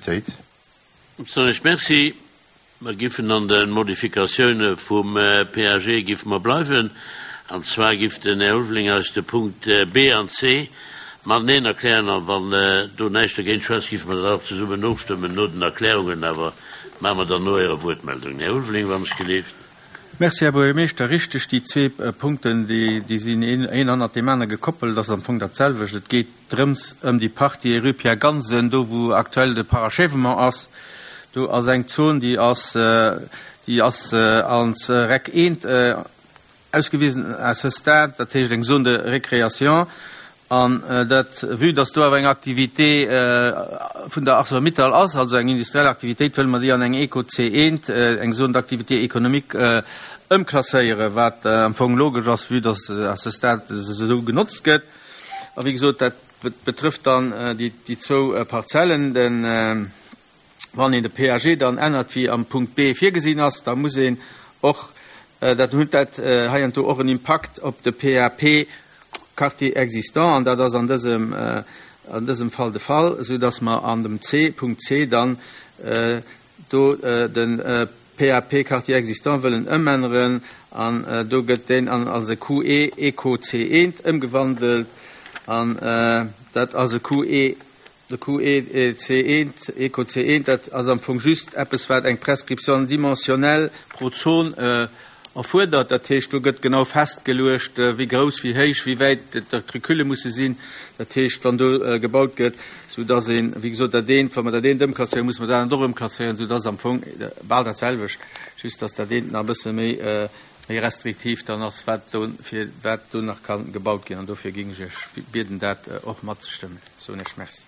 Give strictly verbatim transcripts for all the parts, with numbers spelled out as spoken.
Députéit. Soen ech Merci. Mer giffen an de Modifikatioune vum PAG giffe mer bleiwen. An zwar giff den Här Ulveling eis de Punkt B an C mateneen erklären. A wann do näischt dergéint schwätzt, giffe mer dat och zesummen ofstëmmen no den Erklärungen. Awer maache mer dann no Ärer Wuertmeldung. Här Ulveling, wann ech gelift. Merci, Här Buergermeeschter. Richteg, déi zwee Punkten, déi sinn een hannert deem anere gekoppelt. Dat ass am Fong dat selwecht. Et geet drëms ëm déi Partie rue Pierre Gansen, do wou aktuell de Parachèvement ass. Do ass eng Zon, déi ass, déi ass als Rec eent ausgewisen à ce stade, dat heescht eng Zone de récréation. An dat, vue dass do awer eng Activité vun der ArcelorMittal ass, also eng industriell Aktivitéit, wëlle mer déi an eng Eco C eent, eng Zone d'activité économique, ëmklasséieren, wat am Fong logesch ass, vue dass à ce stade se esou genotzt gëtt. A wéi gesot, dat betrëfft dann déi zwou Parzellen. Den, wann een de P A G dann ännert, wéi am Punkt B virgesinn ass, da muss een och, dat huet dat heiansdo och en Impakt op de P A P Quartier existant, an dat ass an dësem, an dësem Fall de Fall, soudass mer an dem C, Punkt C dann do de P A P Quartier existant wëllen ëmänneren, an do gëtt deen an als e Q E Eco C eent ëmgewandelt, an dat ass e Q E, de Q E C eent, Eco C eent, dat ass am Fong just eppes, wat eng Prescription dimensionnelle pro Zon erfuerdert. Dat heescht, do gëtt genau festgeluecht, wéi grouss, wéi héich, wéi wäit d'Recule musse sinn. Dat heescht, wann do gebaut gëtt, soudass een, wéi gesot, dat eent, wa mer dat eent ëmklasséieren, musse mer dat anert och ëmklasséieren, soudass am Fong bal dat selwecht, just dass dat eent nach e bësse méi, méi restriktiv dann ass, wat do, fir wat do nach ka gebaut ginn. An dofir géing ech Iech bieden, dat och matzestëmmen. Soen ech Merci.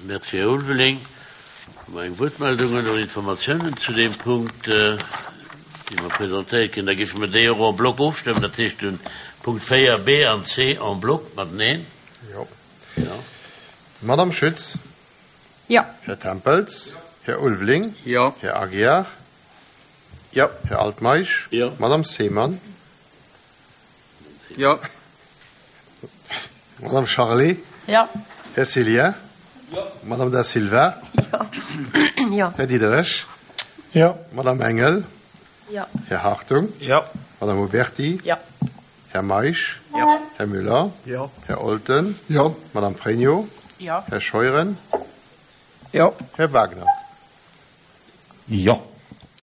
Merci, Här Ulveling. Hu mer eng Wuertmeldung oder Informatiounen zu deem Punkt, déi mer presentéiert kréien? Da géife mer déi och en bloc ofstëmmen, dat heescht den Punkt véier, B an C en bloc mateneen. Jo. Jo. Madame Schütz. Jo. Här Tempels. Här Ulveling. Jo. Här Aguiar. Jo. Här Altmeisch. Jo. Madame Seemann. Jo. Madame Charlé. Jo. Här Cillien. Jo. Madame Da Silva. Jo. Jo. Här Diderich. Jo. Madame Engel. Jo. Här Hartung. Jo. Madame Huberty. Jo. Här Meisch. Jo. Här Müller. Jo. Här Olten. Jo. Madame Pregno. Jo. Här Scheuren. Jo. Här Wagner. Jo.